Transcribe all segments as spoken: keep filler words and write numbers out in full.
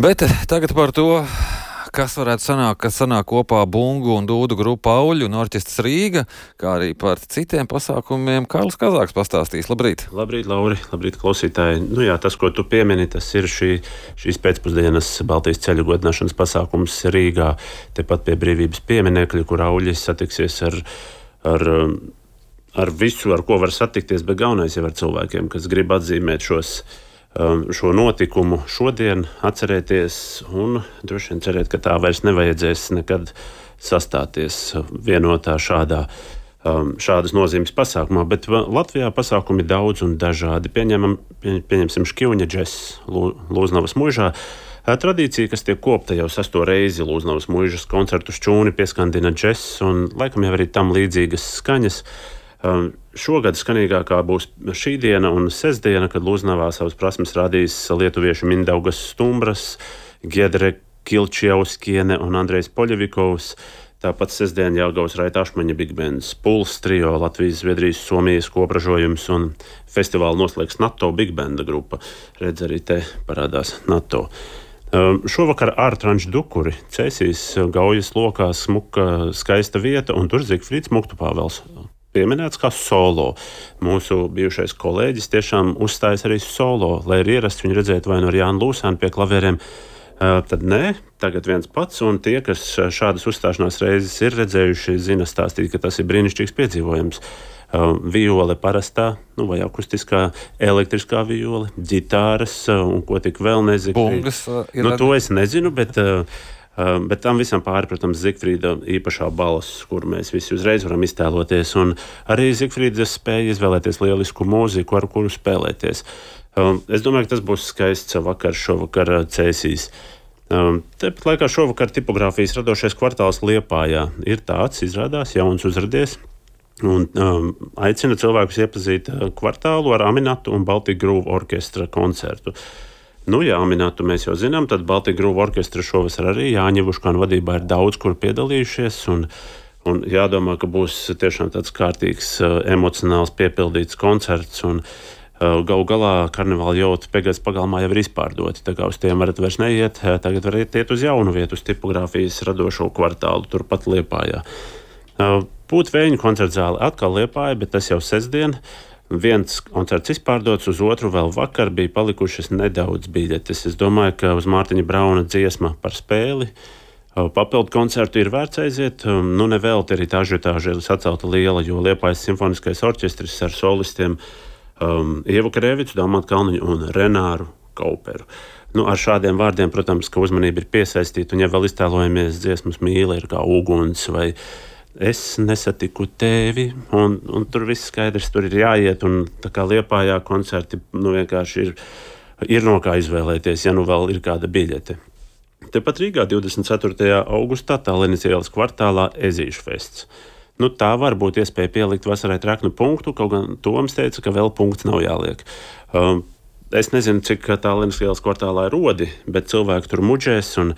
Bet tagad par to, kas varētu sanākt, kas sanāk kopā Bungu un Dūdu grupu Auļu un orķestrs Rīga, kā arī par citiem pasākumiem. Kārlis Kazāks pastāstīs. Labrīt! Labrīt, Lauri! Labrīt, klausītāji! Nu jā, tas, ko tu piemini, tas ir šī, šīs pēcpusdienas Baltijas ceļu godināšanas pasākums Rīgā, tepat pie Brīvības pieminekļa, kur Auļi satiksies ar, ar, ar visu, ar ko var satikties, bet galvenais jau ar cilvēkiem, kas grib atzīmēt šos šo notikumu šodien, atcerēties un droši vien cerēt, ka tā vairs nevajadzēs nekad sastāties vienotā šādā, šādas nozīmes pasākumā. Bet Latvijā pasākumi daudz un dažādi. Pieņemam, pieņemsim Škivņa džess Lūznavas muižā. Tradīcija, kas tiek kopta jau sesto reizi Lūznavas muižas koncertu šķūni pieskandina džess un laikam jau arī tam līdzīgas skaņas. Um, šogad skanīgākā būs šī diena un sestdiena, kad Lūznavā savas prasmes rādīs lietuviešu Mindaugas Stumbras, Giedre Kilčiauskiene un Andrejs Poļevikovs. Tāpat sestdien Jelgavas Raita Ašmaņa Big Bands, Puls trio, Latvijas, Zviedrijas, Somijas kopražojums un festivālu noslēgs NATO Big Banda grupa. Redz, arī te parādās NATO. Um, šovakar ārtranču dukuri, Cēsīs Gaujas lokā smuka skaista vieta un tur Zigfrīds Muktupāvels pieminēts kā solo. Mūsu bijušais kolēģis tiešām uzstājas arī solo, lai ir ierasts viņu redzēt vai no Jāna Lūsēna pie klavieriem. Uh, tad nē, tagad viens pats, un tie, kas šādas uzstāšanās reizes ir redzējuši, zina stāstīt, ka tas ir brīnišķīgs piedzīvojums. Uh, viole parastā, nu, vai akustiskā, elektriskā viole, ģitāras, uh, un ko tik vēl nezinu. Bungas uh, ir. Nu, to es nezinu, bet... Uh, Uh, bet tam visam pāri, protams, Zigfrīda īpašā balss, kuru mēs visi uzreiz varam iztēloties. Un arī Zigfrīda spēja izvēlēties lielisku mūziku, ar kuru spēlēties. Uh, es domāju, ka tas būs skaists vakars šovakar Cēsīs. Uh, Tāpat laikā šovakar tipogrāfijas radošais kvartāls Liepājā ir tāds, izrādās, jauns uzradies. Un um, aicina cilvēkus iepazīt kvartālu ar Aminatu un Baltic Groove orķestra koncertu. Nu, jā, Aminatu mēs jau zinām, tad Baltic Groove orķestra šovasar arī Jāņa Vuškāna vadībā ir daudz, kur piedalījušies, un, un jādomā, ka būs tiešām tāds kārtīgs, uh, emocionāls, piepildīts koncerts, un uh, galu galā karnevāla jauta Pegadas pagalmā jau ir izpārdoti, tā kā uz tiem varat vairs neiet, tagad varat iet uz jaunu vietu, uz tipogrāfijas radošo kvartālu, turpat Liepājā. Uh, Pūtvēņu koncertzāle atkal Liepāja, bet tas jau sestdien. Viens koncerts izpārdots, uz otru vēl vakar bija palikušas nedaudz biļetes. Es domāju, ka uz Mārtiņa Brauna dziesma par spēli papildu koncertu ir vērts aiziet. Nu, nevelti arī tā ažiotāža ir sacelta liela, jo Liepājas simfoniskais orķestris ar solistiem um, Ievu Krēvicu, Dalmatu Kalniņu un Renāru Kauperu. Nu, ar šādiem vārdiem, protams, ka uzmanība ir piesaistīta, un ja vēl iztēlojamies dziesmas mīle ir kā uguns vai es nesatiku tevi, un, un tur viss skaidrs, tur ir jāiet, un tā kā Liepājā koncerti, nu vienkārši ir, ir no kā izvēlēties, ja nu vēl ir kāda biļete. Tepat Rīgā divdesmit ceturtajā augustā Tallinas ielas kvartālā Ezīšu fests. Nu, tā var būt iespēja pielikt vasarai treknu punktu, kaut gan Toms teica, ka vēl punkts nav jāliek. Um, es nezinu, cik Tallinas ielas kvartālā ir rodi, bet cilvēki tur muģēs, un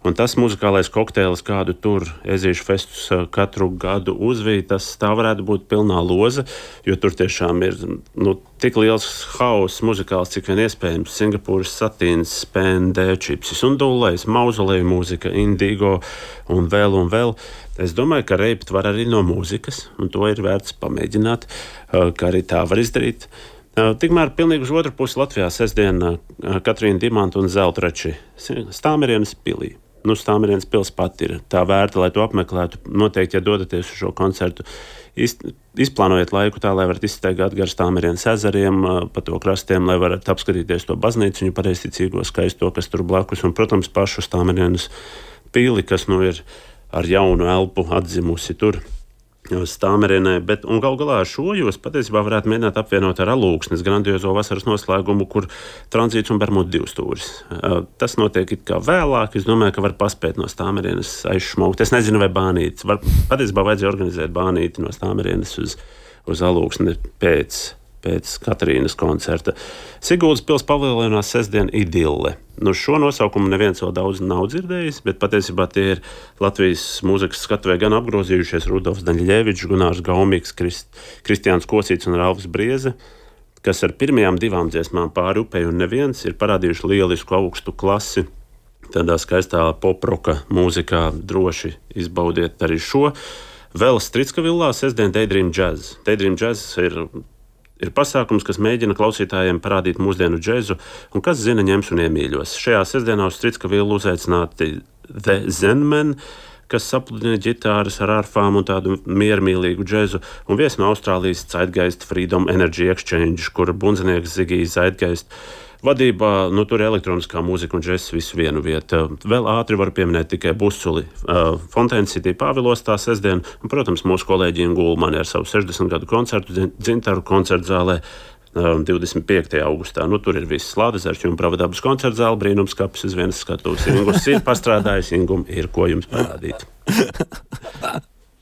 Un tas muzikālais kokteils, kādu tur Ezīšu festus katru gadu uzvīja, tas tā varētu būt pilnā loza, jo tur tiešām ir nu, tik liels hauss muzikāls, cik vien iespējams. Singapūras satīns, spēndē, čipsis un dullais, mauzoleju mūzika, indigo un vēl un vēl. Es domāju, ka reipt var arī no mūzikas, un to ir vērts pamēģināt, ka arī tā var izdarīt. Tikmēr pilnīgi uz otru pusi Latvijā sestdien Katrīna Dimanta un Zeltrači Stāmerienes pilī. Nu, Stāmerienes pils pat ir tā vērta, lai to apmeklētu. Noteikti, ja dodaties uz šo koncertu, iz, izplānojiet laiku tā, lai varat izstaigāt gar Stāmerienes ezeriem, pa to krastiem, lai varat apskatīties to baznīciņu pareizticīgo skaisto, kas tur blakus, un, protams, pašu Stāmerienes pili, kas nu ir ar jaunu elpu atzimusi tur Stāmerienē, bet un gal galā ar šo jūs patiesībā varētu mēģināt apvienot ar Alūksnes grandiozo vasaras noslēgumu, kur tranzīts un Bermudu divstūris. Tas notiek it kā vēlāk, es domāju, ka var paspēt no Stāmerienes aizšmaukt. Es nezinu, vai bānītis. Var, patiesībā vajadzēja organizēt bānīti no Stāmerienes uz, uz Alūksni pēc, pēc Katrīnas koncerta. Siguldas pils paviljonās sestdien Idille. Nu, šo nosaukumu neviens vēl daudz nav dzirdējis, bet patiesībā tie ir Latvijas mūzikas skatuvē gan apgrozījušies Rudolfs Daņļevičs, Gunārs Gaumīgs, Krist, Kristiāns Kosīts un Ralfs Brieze, kas ar pirmajām divām dziesmām Pāri upei un neviens ir parādījuši lielisku augstu klasi tādā skaistā poproka mūzikā, droši izbaudiet arī šo. Vēl Stricka-villā sestdien Daydream Jazz. Daydream Jazz ir, ir pasākums, kas mēģina klausītājiem parādīt mūsdienu džezu, un kas zina ņems un iemīļos. Šajā sestdienā uz Stricka-villu uzaicināti The Zenmen, kas sapludina ģitāras ar arfām un tādu miermīlīgu džezu, un viesi no Austrālijas Zeitgeist Freedom Energy Exchange, kura bundzinieks Zigijs Zeitgeist vadībā, nu tur elektroniskā mūzika un džess visu vienu vietu. Vēl ātri var pieminēt tikai Busuli, uh, Fontaine City Pāvilostā sestdien, un, protams, mūsu kolēģi Gulmani ar savu sešdesmit gadu koncertu Dzintaru koncertzālē divdesmit piektajā augustā. Nu, tur ir viss Lādezers, jums pravadabas koncertzāle, brīnums kapis uz vienas skatuves. Ingus ir pastrādājis, Ingum ir ko jums parādīt.